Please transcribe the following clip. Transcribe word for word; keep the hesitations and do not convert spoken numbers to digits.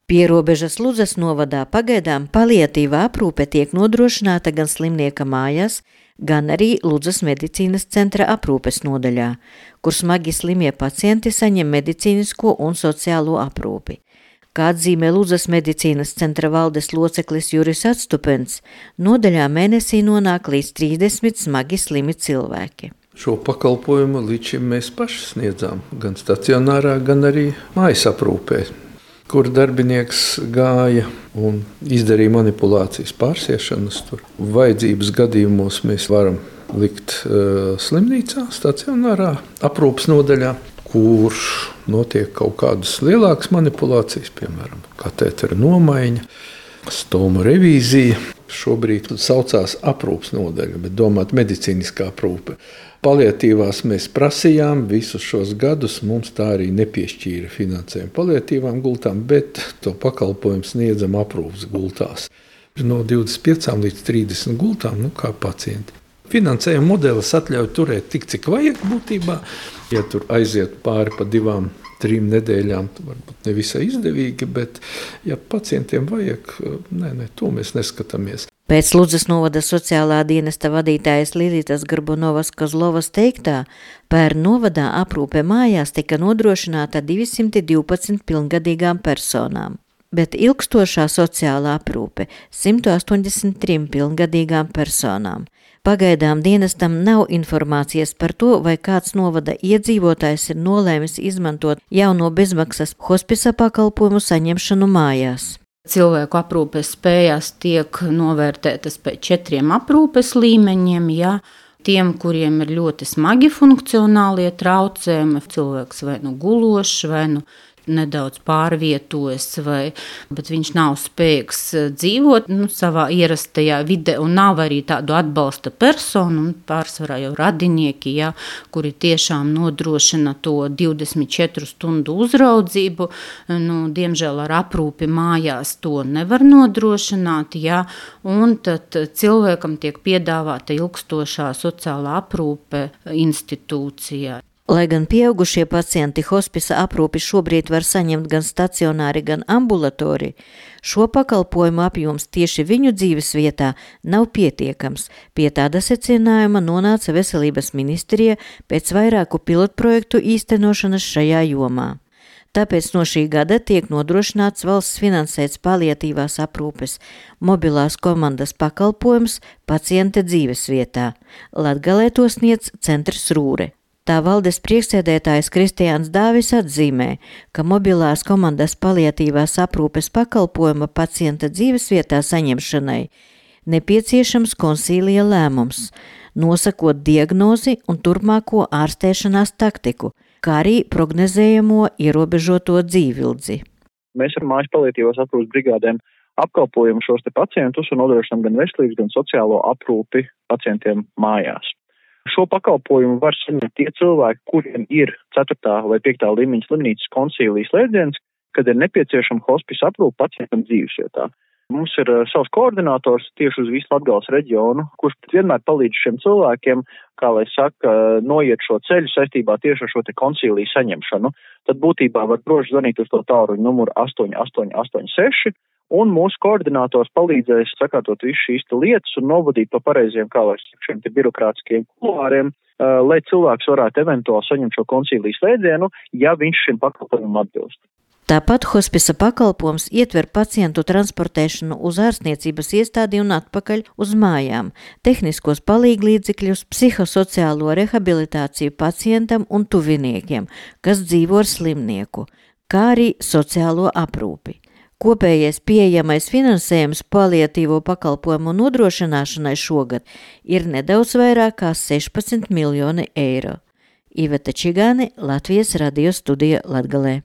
Pierobežas Ludzas novadā pagaidām paliatīvā aprūpe tiek nodrošināta gan slimnieka mājās, gan arī Ludzas medicīnas centra aprūpes nodaļā, kur smagi slimie pacienti saņem medicīnisko un sociālo aprūpi. Kā atzīmē Ludzas medicīnas centra valdes loceklis Juris Atstupens, nodaļā mēnesī nonāk līdz trīsdesmit smagi slimi cilvēki. Šo pakalpojumu līdz šim mēs paši sniedzām, gan stacionārā, gan arī mājas aprūpē, kur darbinieks gāja un izdarīja manipulācijas, pārsiešanas. Tur vajadzības gadījumos mēs varam likt uh, slimnīcā, stacionārā aprūpas nodaļā, kur notiek kaut kādas lielākas manipulācijas, piemēram, katetera nomaiņa, stoma revīzija. Šobrīd saucās aprūpas nodaļa, bet domāt medicīniskā aprūpe. Paliatīvās mēs prasījām visus šos gadus, mums tā arī nepiešķīra finansējumu paliatīvām gultām, bet to pakalpojumu sniedzam aprūpas gultās. No divdesmit piecām līdz trīsdesmit gultām, nu kā pacienti. Finansējuma modelis atļauj turēt tik, cik vajag būtībā. Ja tur aiziet pāri pa divām, trim nedēļām, varbūt nevisai izdevīgi, bet ja pacientiem vajag, nē, nē, to mēs neskatāmies. Pēc Ludzas novada sociālā dienesta vadītājas Lilitas Garbunovas Kozlovas teiktā, pērn novadā aprūpe mājās tika nodrošināta divsimt divpadsmit pilngadīgām personām, bet ilgstošā sociālā aprūpe simt astoņdesmit trim pilngadīgām personām. Pagaidām dienestam nav informācijas par to, vai kāds novada iedzīvotājs ir nolēmis izmantot jauno bezmaksas hospisa pakalpojumu saņemšanu mājās. Cilvēku aprūpes spējas tiek novērtētas pēc četriem aprūpes līmeņiem, ja tiem, kuriem ir ļoti smagi funkcionālie traucējumi, cilvēks vai nu gulošs, vai nu nedaudz pārvietojas, vai, bet viņš nav spējīgs dzīvot nu, savā ierastajā vide un nav arī tādu atbalsta personu, un pārsvarā jau radinieki, ja, kuri tiešām nodrošina to divdesmit četru stundu uzraudzību. Nu, diemžēl ar aprūpi mājās to nevar nodrošināt, ja, un tad cilvēkam tiek piedāvāta ilgstošā sociālā aprūpe institūcijā. Lai gan pieaugušie pacienti hospisa aprūpi šobrīd var saņemt gan stacionāri, gan ambulatori, šo pakalpojumu apjoms tieši viņu dzīves vietā nav pietiekams. Pie tāda secinājuma nonāca Veselības ministrija pēc vairāku pilotprojektu īstenošanas šajā jomā. Tāpēc no šī gada tiek nodrošināts valsts finansēts paliatīvās aprūpes mobilās komandas pakalpojums pacienta dzīves vietā. Latgalē to sniedz centrs Rūre. Tā valdes priekšsēdētājs Kristiāns Dāvis atzīmē, ka mobilās komandas paliatīvās aprūpes pakalpojuma pacienta dzīvesvietā saņemšanai nepieciešams konsīlija lēmums, nosakot diagnozi un turpmāko ārstēšanās taktiku, kā arī prognozējamo ierobežoto dzīvildzi. Mēs ar mājas paliatīvās aprūpes brigādēm apkalpojam šos te pacientus un nodrošinām gan veselības, gan sociālo aprūpi pacientiem mājās. Šo pakalpojumu var saņemt tie cilvēki, kuriem ir ceturtā vai piektā līmeņa slimnīcas konsīlijas slēdziens, kad ir nepieciešama hospisa aprūpe pacientam dzīvesvietā. Mums ir uh, savs koordinators tieši uz visu Latgales reģionu, kurš vienmēr palīdz šiem cilvēkiem, kā lai saka, noiet šo ceļu saistībā tieši ar šo te konsīliju saņemšanu. Tad būtībā var droši zvanīt uz to tālruņa numuru astoņi astoņi astoņi seši, un mūsu koordinators palīdzēs sakārtot visu šīs lietas un novadīt pa pareiziem, kā lai saka, šiem te birokrātiskiem kulāriem, uh, lai cilvēks varētu eventuāli saņemt šo konsīliju slēdzienu, ja viņš šim pakalpojumam atbilst. Tāpat hospisa pakalpojums ietver pacientu transportēšanu uz ārstniecības iestādi un atpakaļ uz mājām, tehniskos palīglīdzekļus, psihosociālo rehabilitāciju pacientam un tuviniekiem, kas dzīvo ar slimnieku, kā arī sociālo aprūpi. Kopējais pieejamais finansējums paliatīvo pakalpojumu nodrošināšanai šogad ir nedaudz vairāk kā sešpadsmit miljoni eiro. Iveta Čigāne, Latvijas radio studija Latgalē.